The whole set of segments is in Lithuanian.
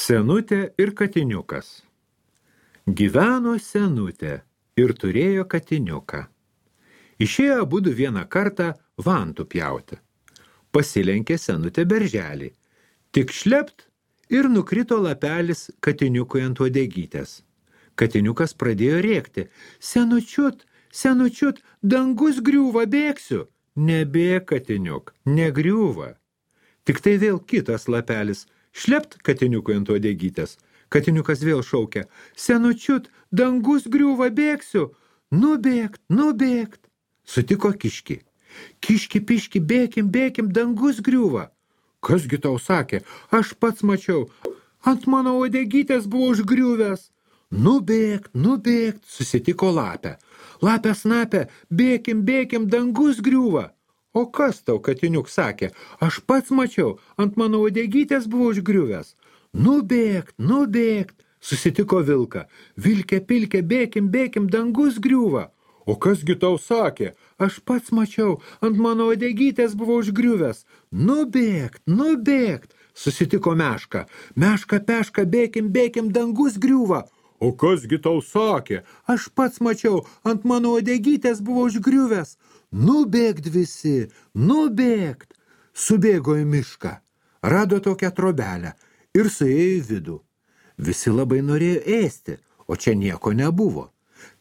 Senutė ir katiniukas. Gyveno senutė ir turėjo katiniuką. Išėjo abudu vieną kartą vantų pjauti. Pasilenkė senutė berželį. Tik šlept ir nukrito lapelis katiniukui ant uodegytės. Katiniukas pradėjo rėkti. Senučiut, senučiut, dangus griūva, bėgsiu. Nebėk, katiniuk, negriūva. Tik tai vėl kitas lapelis. Šlept katiniukui ant uodegytės. Katiniukas vėl šaukia. Senučiut, dangus griūva, bėgsiu. Nubėgt, nubėgt. Sutiko kiškį. Kiški, piški, bėkim, dangus griūva. Kasgi tau sakė? Aš pats mačiau. Ant mano uodegytės buvo užgriuvęs. Nubėgt, nubėgt, susitiko lapę. Lapė snapė, bėkim, dangus griūva. O kas tau, katiniuk, sakė? Aš pats mačiau, ant mano uodegytės buvo užgriuvęs. Nubėgt, nubėgt, susitiko vilką. Vilke, pilke, bėkim, dangus griūva. O kasgi tau sakė? Aš pats mačiau, ant mano uodegytės buvo užgriuvęs. Nubėgt, nubėgt, susitiko meška. Meška, peška, bėkim, dangus griūva. O kasgi tau sakė? Aš pats mačiau, ant mano uodegytės buvo užgriuvęs. Nubėgt visi, nubėgt. Subėgo į mišką, rado tokią trobelę ir suėjo į vidų. Visi labai norėjo ėsti, o čia nieko nebuvo.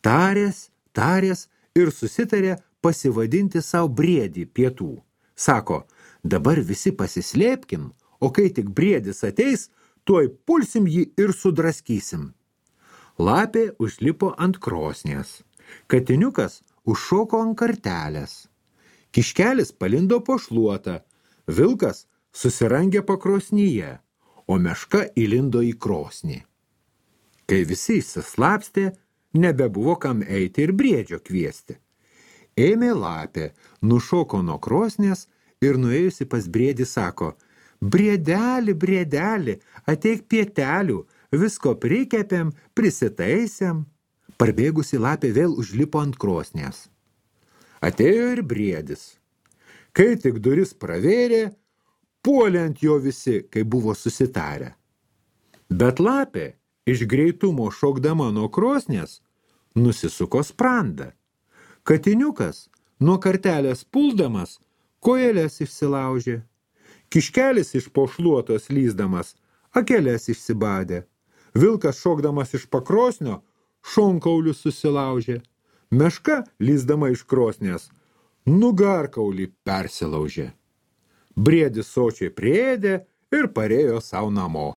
Tarės ir susitarė pasivadinti savo briedį pietų. Sako, dabar visi pasislėpkim, o kai tik briedis ateis, tuoj pulsim jį ir sudraskysim. Lapė užlipo ant krosnies. Katiniukas užšoko ant kartelės. Kiškelis palindo po šluotą. Vilkas susirangė pakrosnyje, o meška įlindo į krosnį. Kai visi išsislapstė, nebebuvo kam eiti ir briedžio kviesti. Ėmė lapė, nušoko nuo krosnės ir nuėjusi pas briedį sako, briedeli, ateik pietelių, visko prikepėm, prisitaisėm. Parbėgusi lapė vėl užlipo ant krosnės. Atėjo ir briedis. Kai tik duris pravėrė, puolė ant jo visi, kai buvo susitarę. Bet lapė, iš greitumo šokdama nuo krosnės, nusisuko sprandą. Katiniukas, nuo kartelės puldamas, kojeles išsilaužė. Kiškelis iš po šluotos lysdamas, akeles išsibadė. Vilkas šokdamas iš pakrosnio, šonkaulius susilaužė. Meška, lysdama iš krosnės, nugarkaulį persilaužė. Briedis sočiai priėdė ir parėjo savo namo.